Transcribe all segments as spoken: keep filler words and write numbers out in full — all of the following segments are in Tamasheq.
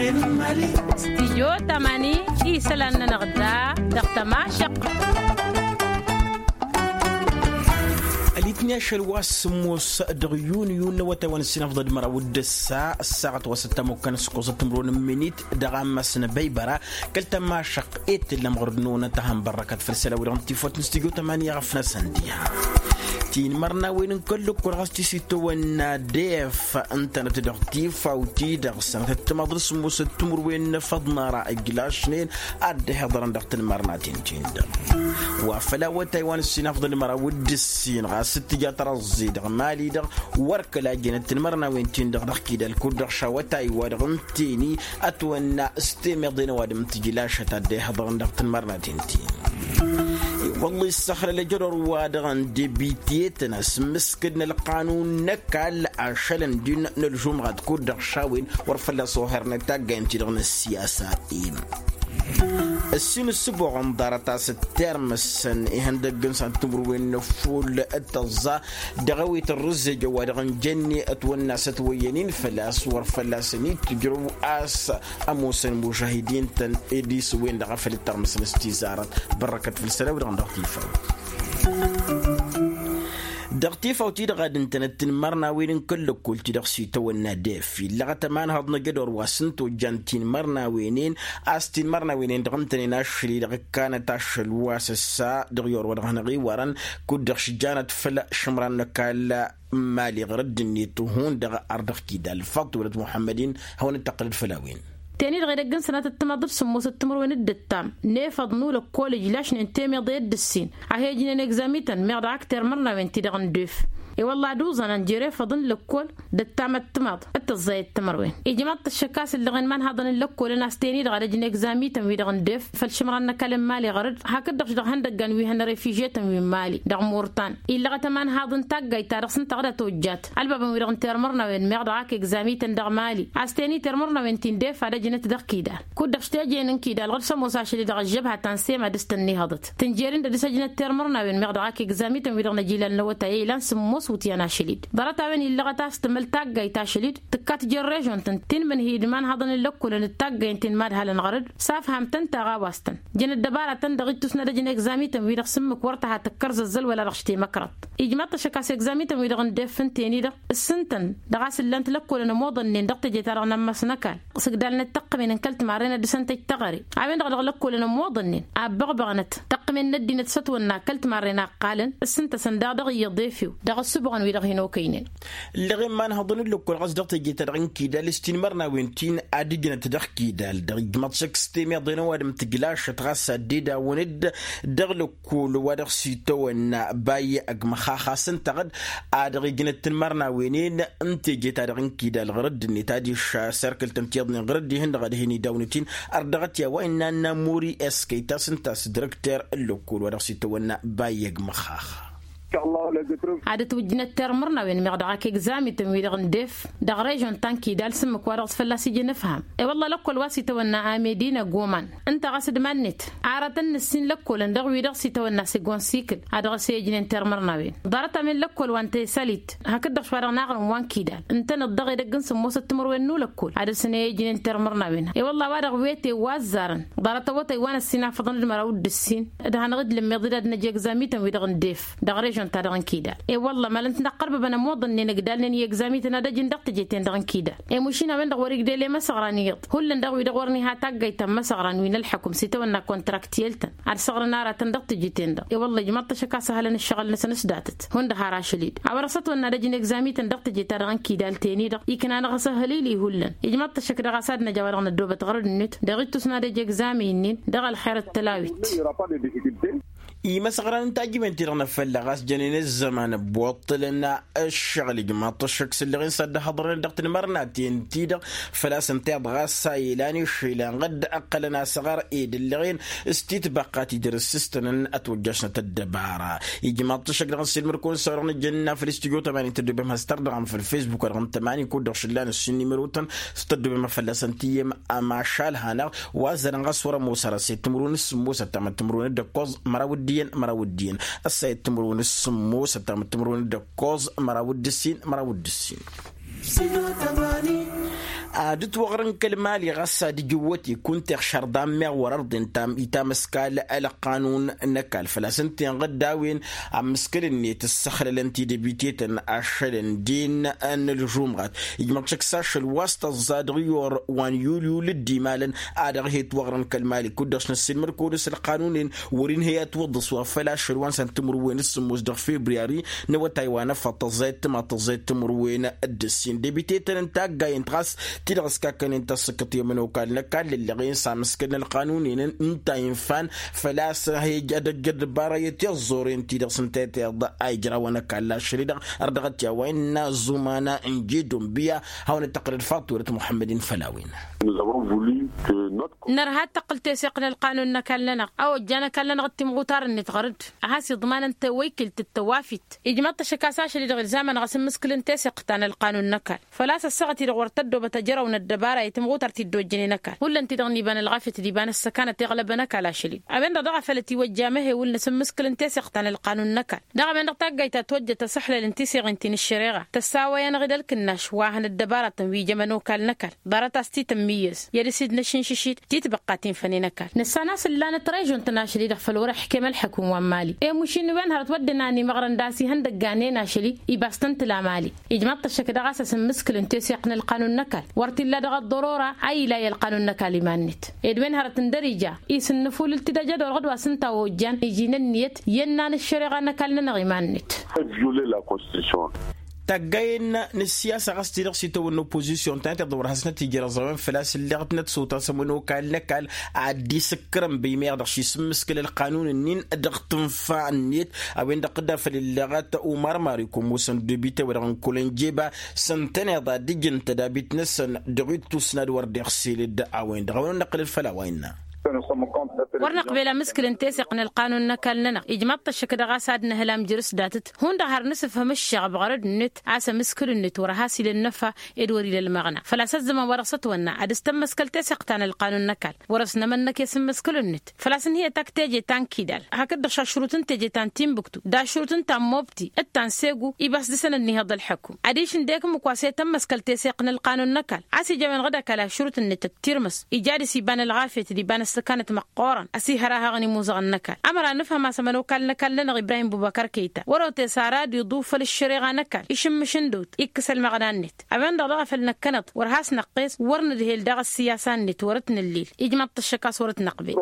Studio tamani isălan-nănăɣ da dăɣ-tămašăq. Ălitni ašăl wa s-sǝmmos dăɣ-yunyu n-awătay wa n-ǝssin afḍăl d-măraw d-ǝssa ăssaɣăt wa s-ăttamukkan s-kosăt timrun n-minit dăɣ-ammas n-abăybăra kăl-tămašăq i-tǝllăm ɣur-dd-năwănăt a hăn-bărrăkăt făll-isălan-wi-dăɣ n-tifawt n-studio tamani i-aɣăf-năsăn diha. Tinmărnawen n-kăl-lăkkol ɣas ti s-itawănna def ǝntănăt dăɣ-tifawt-i-dăɣ sănătăt timaḍ n-sǝmmosăt timǝrwen n-efăḍ n-ara ǝjlašnen ad-dd-ihiḍărăn dăɣ-tinmărnaten-tin-dăɣ. Wa făl awătay wa n-ǝssin afḍăl d-măraw d-ǝssin ɣas t-tǝja tărăẓẓe dăɣ-mali-dăɣ wăr kăla jănăt tinmărnawen-tin-dăɣ dăɣ-kidal kud-dăɣ šawătay wa dăɣ-ǝnteni ătwănna s-temeḍe n-ăwadǝm n-tǝjlašăt ad-dd-ihiḍărăn dăɣ-tinmărnaten-tin. I-wălla issăxlăl ajădor wa dăɣ-ăndebitiyetăn a-s ǝmmǝskǝd n-ălqanun n-ăkall ašălăn din n-ălžumɣat kud-dăɣ šawen wăr fălla-s ohărnăt taggayăn-ti-dăɣ n-ăssiyasa-im. Ǝssin ǝssǝboɣăn ḍarăt a-s ǝttirmǝsăn ihăndăgg n-săn timǝrwen n-ăffull d-tăẓẓa dăɣ-ewit ărrǝzzej ăwadăɣ n-jănni ătwănna s-ătwăyyăn-in făl-a-s wăr fălla-săn-dd tǝjrǝw a-s ămoosăn imužahidin-tăn ed isǝwwen-dăɣ a făl ǝttărmǝsăn s-tizarăt. Bărrăkăt făll-isălan-wi-dăɣ dăɣ-tifawt. Dăɣ-tifawt-i-dăɣ ad-ǝntănăt tinmărnawen n-kăl-lăkkol-ti-dăɣ s-itawănna def illăɣăt ămanhăḍ n-ajădor wa s-ǝnta ojjan tinmărnawen-en a-s tinmărnawen-en dăɣ-ǝntănen ašăl-i-dăɣ ǝkkanăt ašăl wa s-ăssa dăɣ-i orwădăɣ hanăɣ-iwarăn kud-dăɣ šǝjjanăt făll-išǝmran n-ăkall n-imali ɣur-dd-net hundăɣ ar dăɣ-kidal faḍt wălăt muḥămmăd-in. Hawăn-dd-tăqqǝlăd făll-a-wen. Teni-dăɣ edăgg n-sănatăt timaḍ d-sǝmmosăt timǝrwen d-ǝttam n-efăḍ n-ulăkkol ǝjlašnen temeḍe d-ǝssin a he-ǝjnen egzamităn meɣ dăɣ-ak termărnawen-ti-dăɣ n-def. I-wălla ad-uẓan ănjer efăḍ n-lăkkol d-ǝttamăt timaḍ d-tăẓẓayăt timǝrwen ijmaḍ-t ăššăk a-s ǝllăɣen imanhaḍăn n-lăkkolăn a-s teni-dăɣ ad-ăjǝn egzamităn-wi-dăɣ n-def făll-išǝmran n-ăkall n-imali ɣăr-dd hakd-dăɣ-š dăɣ-ihăndăggan wi hăn-refižetăn wi n-imali dăɣ-murtan. Illăɣăt ămanhaḍ n-taggayt-ta-dăɣ s-ǝnta ɣǝd ătojjat ălbabăn-wi-dăɣ n-termărnawen meɣ dăɣ-ak egzamităn dăɣ-imali a-s teni termărnawen ti n-def ad-ăjnăt dăɣ-kidal kud-dăɣ s-tejen n-kidal ɣǝd s-ămoos ašăl-i dăɣ-ăžžăbha ta n-sema dăɣ-s tăn-nihăḍăt tǝnjer-in d-ad-dăɣ-s ăjnăt termărnawen meɣ dăɣ-ak egzamităn-wi-dăɣ n-ajilal n-awătay a ilan sǝmmos iwǝtyan ašăl-dd. Ḍarăt-a-wen illăɣăt a-s tǝmǝl taggayt ašăl-dd tǝkkat jer-režon-tăn ti n-imǝnhǝy d-imanhaḍăn n-lăkkolăn d-taggay n-ti n-imadhalăn ɣăr-dd s-afham-tăn taɣawast-tăn. Jăn ăddăbara-tăn-dăɣ ittus n-ad-ăjǝn egzamităn-wi-dăɣ s-ǝmmǝk wăr tăha tǝkkăr zăzzăl wăla dăɣ-š temăkrăḍt. Ijmaḍ-t ăššăk a-s egzamităn-wi-dăɣ n-def ǝnten-i-dăɣ ǝssǝn-tăn dăɣ-a-s ǝllan-t lăkkolăn ămoḍănnen dăɣ-teje-ta-dăɣ n-ammas n-ăkall s-ǝgdalnăt tăqqǝmen n-kăl-timarren ad-dăɣ-săn tăjj teɣăre. A-wen-dăɣ dăɣ-lăkkolăn ămoḍănnen abbăɣbăɣnăt tăqqǝmen n-ăddinăt s-ătwănna kăl-timarren a ǝqqalăn ǝssǝn-tăsăn daɣ dăɣ-iyyăḍ efew dăɣ-ăssubăɣăn-wi-dăɣ hin-okăynen. Ǝlleɣ imanhăḍăn n-lăkkol ɣas dăɣ-teje-ta-dăɣ n-kidal s-tinmărnawen ti n-ad-ǝjnăt dăɣ-kidal dăɣ-ijmăḍ šăkk s-temeḍe n-ăwadǝm tǝjlašăt ɣas ad-dd-edawăn-dd dăɣ-lăkkol wa dăɣ-s itawănna bay ăgg măxaxa s-ǝnta ɣǝd. Ad-dăɣ-ijnăt tinmărnawen-en n-teje-ta-dăɣ n-kidal ɣur-dd-net adiš serkǝl-tăn tiyyăḍnen ɣur-dd-ihǝn dăɣ-ad-hin-idawăn-t-in ărdăɣăt i-a-wa innă n-amuri s-kăy-ta s-ǝnta a-s dăr-ǝkter n-lăkkol wa dăɣ-s itawănna bay ăgg măxaxa. Ad-ătwǝjjǝnăt termărnawen meɣ dăɣ-ak egzamităn-wi-dăɣ n-def dăɣ-režon ta n-kidal s-ǝmmǝk wa dăɣ-s fălla-s ija nǝfham. I-wălla lăkkol wa s-itawănna amedina goman ǝnta ɣas d-iman-net aratăn n-ǝssin lăkkolăn dăɣ-wi-dăɣ s-itawănna segon sikǝl a dăɣ-s e-ǝjnen termărnawen. Ḍarăt-a-wen lăkkol wa n-tesălit hakd-dăɣ šwa dăɣ-naɣrǝm wa n-kidal ǝntăneḍ dăɣ-edăgg n-sǝmmosăt timǝrwen n-ulăkkol ad-dăr-săn e-ǝjnen termărnawen. I-wălla a-wa-dăɣ wete wa ăzzarăn ḍarăt awătay wa n-ăssin afăḍăn d-măraw d-ǝssin d-hanăɣ-dd-lǝmmeḍ d-ad-năj egzamităn-wi-dăɣ n-def dăɣ-režon-ta-dăɣ n-kidal. I-wălla mălăn-t năqqărbăbăn ămoḍănnen ǝgdalnen i-egzamităn ad-ăjǝn dăɣ-teje-ten-dăɣ n-kidal i-mušin a-wen-dăɣ wăr-igdel i-imăsăɣran iyyăḍ hullan dăɣ-wi-dăɣ wăr niha taggayt ta n-imăsăɣran wi n-ălḥăkum s-itawănna kontraktiyel-tăn ad-săɣrăn aratăn dăɣ-teje-ten-dăɣ. I-wălla ijmaḍ-t ăššăk a-s ăhălăn ǝššăɣǝl-năsăn s-datăt hundăɣ har ašăl-dd a-wa dăɣ-s ătwănna ad-ăjǝn egzamităn dăɣ-teje-ta-dăɣ n-kidal teni-dăɣ ikna-năɣ asăhhălili hullan. Ijmaḍ-t ăššăk dăɣ-a-s ad-năj a-wa dăɣ-năddoobăt ɣărăd-net dăɣ-ittus n-ad-ăj egzamin-nin dăɣ-ălxer d-tălawit. Imăsăɣran n-tajǝwen-ti-dăɣ n-afălla ɣas jănen ăzzăman ăbbuṭṭǝlăn ǝššăɣǝl ijmaḍ-t ăššăk s-ǝlleɣ-in s-ad-dd-hăḍrănăt dăɣ-tinmărnaten-ti-dăɣ făl-a-s ǝnta iḍɣa s-a ilan iššilăn ɣǝdd ǝqqălăn asăɣăr ed ǝlleɣ-in s-titbăqqa ti dăr-s s-tăn-ătwăjjašnăt ăddăbara. Ijmaḍ-t ăššăk dăɣ-nǝssilmăd-kăwăn s-a-wa-dăɣ nǝjjăn ănn afăl s-tijăw tămanin tăddobem has-tărdăɣăm făll-fesbuk-wa-dăɣ n-tămanin kud-dăɣ šǝllan ǝssin n-imărotăn s-tăddobem a fălla-săn tǝyyem. Ămašal hanăɣ wa ăzzarăn ɣas wăr-ămoos ara s-e-timǝrwen s-sǝmmos ăttamăt timǝrwen d-ǝkkoẓ măraw d-iyyăn măraw d-iyyăn. Ăssa e-timǝrwen s-sǝmmos ăttamăt timǝrwen d-ǝkkoẓ măraw d-ǝssin măraw d-ǝssin. Ad-ǝtwăɣrǝn kăl-mali ɣas ad-ǝjǝwwăt-i kunta iɣšăr d-ammeɣ wăr-ărḍen itamǝskal ălqanun n-ăkall făl-a-s ǝnta inɣǝd a-wen. Amǝskǝl-net ǝssăxlălăn tidăbitetăn ašălăn din n-ălžumɣat ijmăḍ šăkk s-ašăl wa s-tăẓẓa dăɣ-iyor wa n-yulyul dd-imalăn. Ad-dăɣ-hi-ǝtwăɣrǝn kăl-mali kud-dăɣ s-năssiilmăd-kăwăn-dăɣ s-ălqanun-en. Wăr-inhăy a ǝtwăḍḍăs wa făl ašăl wa n-săn timǝrwen d-sǝmmos dăɣ-februari n-awătay wa n-afăḍ tăẓẓayăt tǝmaḍ tăẓẓayăt timǝrwen d-ǝssin debitetăn n-taggayăn ɣas ti-dăɣ ăskakkănen tasǝkkăt i-ămănokal n-ăkall ǝllăɣen s-amǝskǝl n-ălqanun-en ǝnta infan. Făl-a-s hej ad-ăjjăr dăbara i-tiẓẓoren ti-dăɣ s-ǝnta i-tiḍa a ijrawăn ăkall ašăl-i-dăɣ. Ărdăɣăt i-a-wa innă ăẓumana n-jidun biya hawăn-dd-tăqqǝlăd faḍt turăt muḥămmăd-in făll-a-wen. Nărha ad-tăqqǝl teseɣt n-ălqanun n-ăkall-nănăɣ a ojjan ăkall-nănăɣ d-timɣutar-net ɣăr-dd a has-iḍmanăn tewăykilt d-tewafit. Ijmăḍ-t ăššăk a-s ašăl-i-dăɣ ilzamăn ɣas n-imǝskǝl n-teseɣt ta n-ălqanun n-ăkall făl-a-s ăssaɣăt-i-dăɣ wăr tăddoobăt ajărăw n-ăddăbara i-timɣutar ti dd-ojjănen ăkall hullan-ti-dăɣ n-iba n-ălɣafyăt d-iba n-ăssăkanăt iɣlăbăn ăkall ašăl-i. A-wen-dăɣ daɣ a făl ătiwăjja amăhewǝl n-asǝmmǝskǝl n-teseɣt ta n-ălqanun n-ăkall daɣ a-wen-dăɣ taggayt ta tojjăt asǝḥlăl n-tiseɣin ti n-ǝššăreɣa tăssawăy-anăɣ-dd ălkǝnnaš wa hăn ăddăbaratăn wi jămăn okal n-ăkall. Ḍarăt-as titǝmmǝyyăz i-ad-ǝsidnăš n-išǝšit titbăqqa ti n-fănen ăkall nǝssan a-s ǝllanăt režon-tăn ašăl-i-dăɣ făl wăr-ăḥkem ălḥăkum wa n-mali. Emušin n-wen hărăt wădden a ănimăɣrăn d-asihăndăgg a nen ašăl-i ibas tăn-tǝla mali. Ijmaḍ-t ăššăk daɣ a-s asǝmmǝskǝl n-teseɣt n-ălqanun n-ăkall wăr t-illa dăɣ-ăḍḍărora a ila i-ălqanun n-ăkall iman-net. Ed wen hărăt n-dăr-ija isǝnnǝfulǝl-t-dd ajădor ɣǝd wa s-ǝnta a ojjan iji n-ǝnniyăt i-ănnan ăššăreɣa n-ăkall-nănăɣ iman-net. Tăjjule la constitution. Taggayen n-ǝssiyasa ɣas ti-dăɣ s-itawănna opozisyon ta n-tiḍa wăr hasnăt ijrăẓ a-wen făl-a-s ǝlleɣ-tnăt s-otasăm n-okal n-ăkall ad-dd-isǝkkărăn băymeɣ dăɣ-s isǝmmǝskǝl ălqanun-nin dăɣ-tǝnfa-net. A-wen-dăɣ dd-afăl ǝlleɣăt umar mari kămusăn debite-wa-dăɣ n-kăwăl n-jeba s-ǝntăneḍ ad-dd-ǝjǝn tădabit-năsăn dăɣ-ittus n-ad-wăr dd-iɣsǝl-dd a-wen-dăɣ a-wen-dăɣ năqqǝlăd făll-a-wa innă. Wăr năqbel amǝskǝl n-teseɣt n-ălqanun n-ăkall-nănăɣ ijmaḍ-t ăššăk dăɣ-a-s ad-nǝhǝl amjrǝs datăt hundăɣ har nǝsǝfhǝm ǝššăɣăb ɣărăd-net a-s amǝskǝl-net wăr has-ila ănnăfa ed wăr ila ălmăɣna făl-a-s ăzzăman wa dăɣ-s ătwănna ad-ăstămmăskăl teseɣt ta n-ălqanun n-ăkall. Wăr-ăsnămănnăk i-asǝmmǝskǝl-net făl-a-s ǝnhǝyăt ak teje ta n-kidal hakd-dăɣ šašrut n-teje ta n-timbuktu d-ašrut n-ta n-mobti d-ta n-segu ibas dăr-săn ănnihăḍ ălḥăkum. Adiš ǝndek ǝmmǝk wa s-e-tămmăskăl teseɣt n-ălqanun n-ăkall a-s ija a-wen-dăɣ d-ăkall ašrut-net d-tirmǝs ija dăr-s iba n-ălɣafyăt d-iba n-ăssăkanăt măqqoorăn ăsihărahăɣăn imuzăɣăn n-ăkall. Ămăra nǝfhăm a-s ămănokal n-ăkall-nănăɣ ibrahim bubăkăr kăyta wăr-otes ara ad-iḍu făll-ǝššăreɣa n-ăkall išǝmmǝš ǝndăwt ikkǝs ălmăɣna-net. A-wen-dăɣ daɣ a făl năkkănăḍ wăr has-năqqes wăr nǝdhel daɣ ăssiyasa-net wăr-ătnǝllil. Ijmaḍ-t ăššăk a-s wăr-ătnăqbel.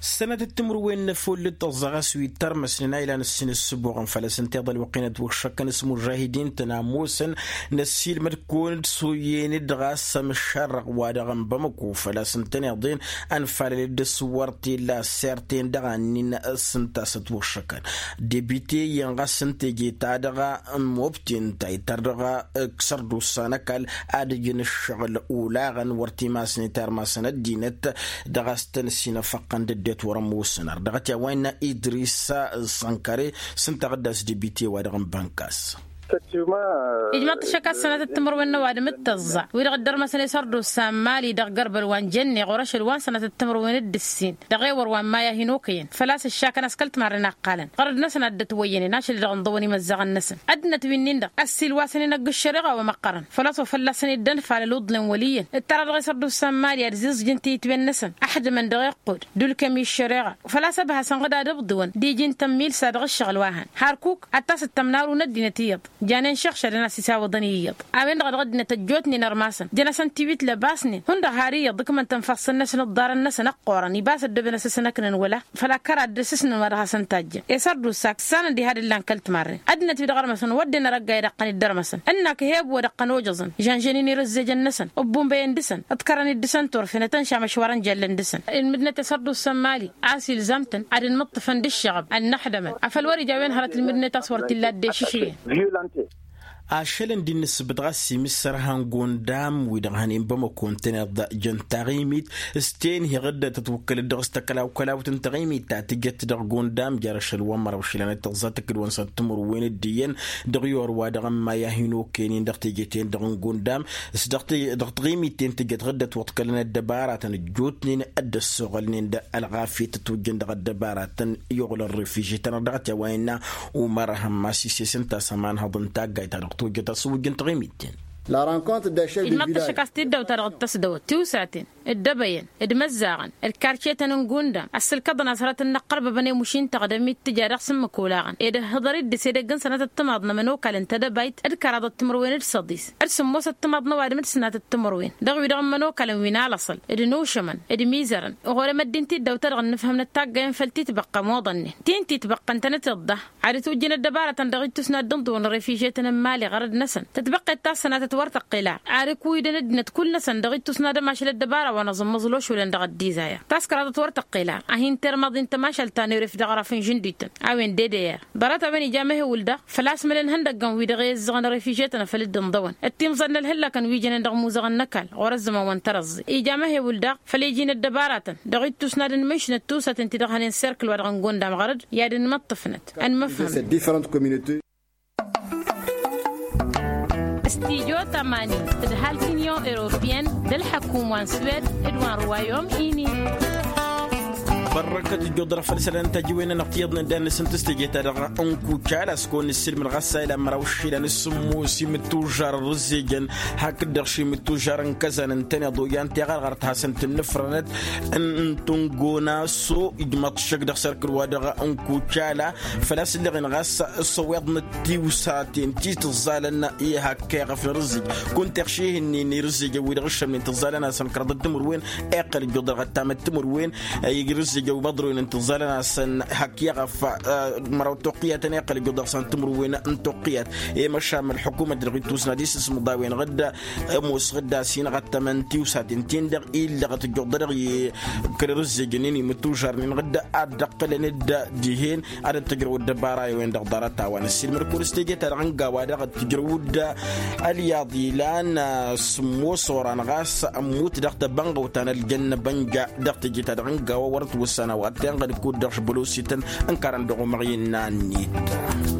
Sănătăt timǝrwen n-efullet tăẓẓa ɣas wi tărmăsnen a ilan ǝssin ǝssǝboɣăn făll-asǝnteḍ ălwăqq-in ătwăkšăkkăn s-mužahidin-tăn a ămoosăn năssiilmăd-kăwăn-dd s-oyyen-dd ɣas amǝššarrăɣ wa dăɣ-n bamăko făll-asǝntăneḍ-en. Ănfalăl-dd s-wăr t-illa ăssert-en dăɣ-annin s-ǝnta a-s ătwăkšăkkăn debite-in ɣas n-teje-ta-dăɣ n-mobti ǝnta ităr dăɣ-sărdusa n-ăkall ad-ǝjǝn ǝššăɣǝl olaɣăn wăr t-imasnen tarmasăn ăddinăt. Dăɣ-a-s tăn-ăsinăfăqqăn d-ăddinăt wăr-ămoosăn ărdăɣăt i-a-wa innă idris sănkăre s-ǝnta a ɣǝddas debite wa dăɣ-n bănkas. Ijmăḍ-t ăššăk a-s sănatăt timǝrwen n-ăwadǝm d-tăẓẓa wi-dăɣ dd-ărmăsăn i-sărdusa n-mali dăɣ-gărbăl wa n-jenne ɣur-ašăl wa n-sănatăt timǝrwen d-ǝssin dăɣ-ewăr wa n-maya hin-okăyăn făl-a-s ǝššakăn a-s kăl-timarren a ǝqqalăn ɣărăd-năsăn a dd-ătwăyyănen ašăl-i-dăɣ ǝnḍăwăn imăzzaɣăn-năsăn. Ăddinăt wi-nin-dăɣ ăssiilwasăn-in ăgg-ǝššăreɣa wa măqqărăn făl-a-s wa fălla-săn dd-ănfalăl uḍlǝn wăl' iyyăn ǝttăra dăɣ-e-s ărdusa n-mali ad-ǝzǝẓjǝn tiyǝtwen-năsăn ăḥdǝmăn dăɣ-iqqud d-ulkem i-ǝššăreɣa. Făl-a-s ăbhasăn ɣǝd ad-ǝbḍǝwăn d-iji n-tămmilsa dăɣ-ǝššăɣǝl wa hăn harkuk ad-tasǝttăm n-aru n-ăddinăt iyyăḍ janen šăɣšadăn a-s isawăḍăn iyyăḍ. A-wen-dăɣ a dăɣ-ăddinăt ăjjootnen ărmasăn jăn-asăn tiwit lăbasnen hundăɣ har iyyăḍ ǝkmăn-tăn ifassăn-năsăn d-iḍarăn-năsăn ăqqoorăn ibas ăddooben asǝsnăknen wăla făl-akkăr ad-dd-asǝsnăn wa dăɣ-hasăn-tajjăn. I-sărdusa ǝksanăn diha d-ǝllan kăl-timarren ăddinăt wi dăɣ-ărmăsăn wădden arăgga i-dăɣ-tăn-dd-ărmăsăn ǝnnak ăheb wa dăɣ-tăn-ojăẓăn žănžănen irǝzzejăn-năsăn ǝbbunbăyăn dăɣ-săn ǝḍkărăn-dd dăɣ-săn turfen ătănšam ăšwarăn jallăn dăɣ-săn. Ǝlmǝdnăt i-sărdusa n-mali a-s ilzam-tăn ad-ǝnmǝṭṭǝfăn d-ǝššăɣăb ănnăxdămăn afăl wăr-ija a-wen hărăt ǝlmǝdnăt a-s wăr t-illa dd-ešǝšrǝyăn. Ašăl ǝndi n-ǝssǝbǝt ɣas imǝssăr han gundam wi-dăɣ hănen bamăko ǝntăneḍ jăn taɣimit s-tenhi ɣǝddăt ătwăkkălăt dăɣ-s tăkălaw-kălawt n-taɣimit ta tǝjăt dăɣ-gundam jer-ašăl wa n-măraw išilan d-tăẓẓa tǝkkǝd wa n-săr timǝrwen d-iyyăn dăɣ-i orwa dăɣ-ămmayah inokăyăn-in dăɣ-teje-ten-dăɣ n-gundam s-dăɣ-taɣimit-ten tǝjăt ɣǝddăt wăḍkălăn ăddăbaratăn ăjjootnen dd-ăssoɣălnen d-ălɣafyăt ătwǝjjăn dăɣ-ăddăbaratăn i-oɣlăn refiži-tăn-dăɣ dăɣ-t i-a-wa innă umăr hămmas ises ǝnta a-s ămanhăḍ n-taggayt ta dăɣ-tojjăt asǝwǝjj n-taɣimit-ten. Id-măḍt ăššăk a-s tiddawt-ta-dăɣ d-tăsdăwăt tiwsaten, dd-ebăyăn, d-imăzzaɣăn, d-karcetăn n-gundam ăssǝlkăḍăn a-s hărăt n-inăqqărbăbăn i-imuši-n-tăɣ d-ămmittǝja dăɣ-s n-imǝkolaɣăn ed ǝhhǝḍăr-dd s-edăgg n-sănatăt timaḍ n-ămănokalăn tedăbayt d-kăraḍăt timǝrwen d-săḍis d-sǝmmosăt timaḍ n-ăwadǝm d-sănatăt timǝrwen dăɣ-wi-dăɣ n-imănokalăn wi n-alăṣăl d-inušămăn d-imizărăn. Ɣur-emăddin tiddawt-ta-dăɣ ǝnnǝfhǝmnăt taggăyăn făll-titbăqqa ămoḍănnen ti n-titbăqqa ǝntănăteḍ da. Ad-ătwǝjjăn ăddăbarătăn dăɣ-ittus n-ad-dd-inḍǝwăn refižetăn n-imali ɣărăd-năsăn tǝtbăqqet ta s-sănatăt wăr tăqqel ar ad-ǝkwǝydăn ăddinăt kull-năsăn dăɣ-ittus n-ad-ămašăl ăddăbara wa n-aẓǝmmăẓ lošulăn dăɣ-ăddizaya. Taskăraḍăt wăr tăqqel ar a hin-termăḍ i n-tămašalt ta n-eref dăɣ-araf n-žǝndităn a-wen d-edăyăr ḍarăt-a-wen ija mehewǝl daɣ făl-a-s mălăn ihăndăggăn wi-dăɣ i-ǝzzăɣăn refižetăn a făl dd-inḍăwăn d-timẓad n-ălhǝllăkăn wi jănen dăɣ-imuzăɣăn n-ăkall ɣur-ăzzăman wa n-tărăẓẓe. Ija mehewǝl daɣ făl-iji n-ăddăbaratăn dăɣ-ittus n-ad-ănmǝnšnăt tiwsaten ti-dăɣ hănen serkǝl wa dăɣ-n gondam ɣărăd i-ad-ănmăṭṭǝfnăt. Ănmăfhăm. Stijo tămani tǝdhal tinion europeyăn d-ălḥăkum wa n-swed d-wa n-ruwayom ini. Bărrăkăt ǝjjuḍ-dăɣ făll-isălan n-tajǝwen-nănăɣ tiyyăḍnen d-ad-nǝsǝnt s-teje-ta-dăɣ n-kucal a-s kăwăn-nǝssilmǝd ɣas a ilan măraw išilan s-sǝmmos imǝttužar ărrǝzzejăn hakd-dăɣ šimǝttužar n-kăzan ǝntăneḍ oyyan tiɣărɣărt hasăn-tǝnnǝfrănăt n-tǝngona s-o ijmăḍ šăk dăɣ-sărkǝl wa dăɣ-n kucala. Făl-a-s ǝlleɣen ɣas s-ăwweḍnăt tiwsaten ti tǝẓẓalăn i-hak iɣăf n-irǝzzǝj kunta iɣšihǝnnin irǝzzǝjăn wi-dăɣ ǝššămnen tǝẓẓalăn-asăn kăraḍăt timǝrwen. Iqqăl ǝjjuḍ dăɣ-ăttamăt timǝrwen irǝzzǝjăn wi măḍroynen tǝẓẓalăn-asăn hak iɣăf măraw toqqiyatăn iqqăl ǝjjuḍ dăɣ-san timǝrwen n-toqqiyat. I-măšam ălḥukumăt dăɣ-ittus n-ad-isǝsmǝḍ a-wen ɣǝdda ămoos ɣǝdda a-s inɣăttămăn tiwsaten-tin-dăɣ illăɣăt ǝjjuḍ-dăɣ i-kăl-irǝzzejăn-in imǝttužarnen ɣǝdda ad-dd-ăqqǝlăn-dd dihen ad-dd-tǝjrăw ăddăbara i-wen-dăɣ ḍarăt-a-wa n-ăssiilmăd-kăwăn s-teje-ta-dăɣ n-gawa daɣ dd-tǝjrăw-dd ălyaḍ ilan s-ămoos oran ɣas ămmut dăɣ-tăbănɣăwt ta n-ăljanna bănja dăɣ-teje-ta-dăɣ n-gawa wăr-ătwǝssan a-wa t-tenɣăd kud-dăɣ šbălosităn ǝnkarăn dăɣ-umăɣ innă ănnit.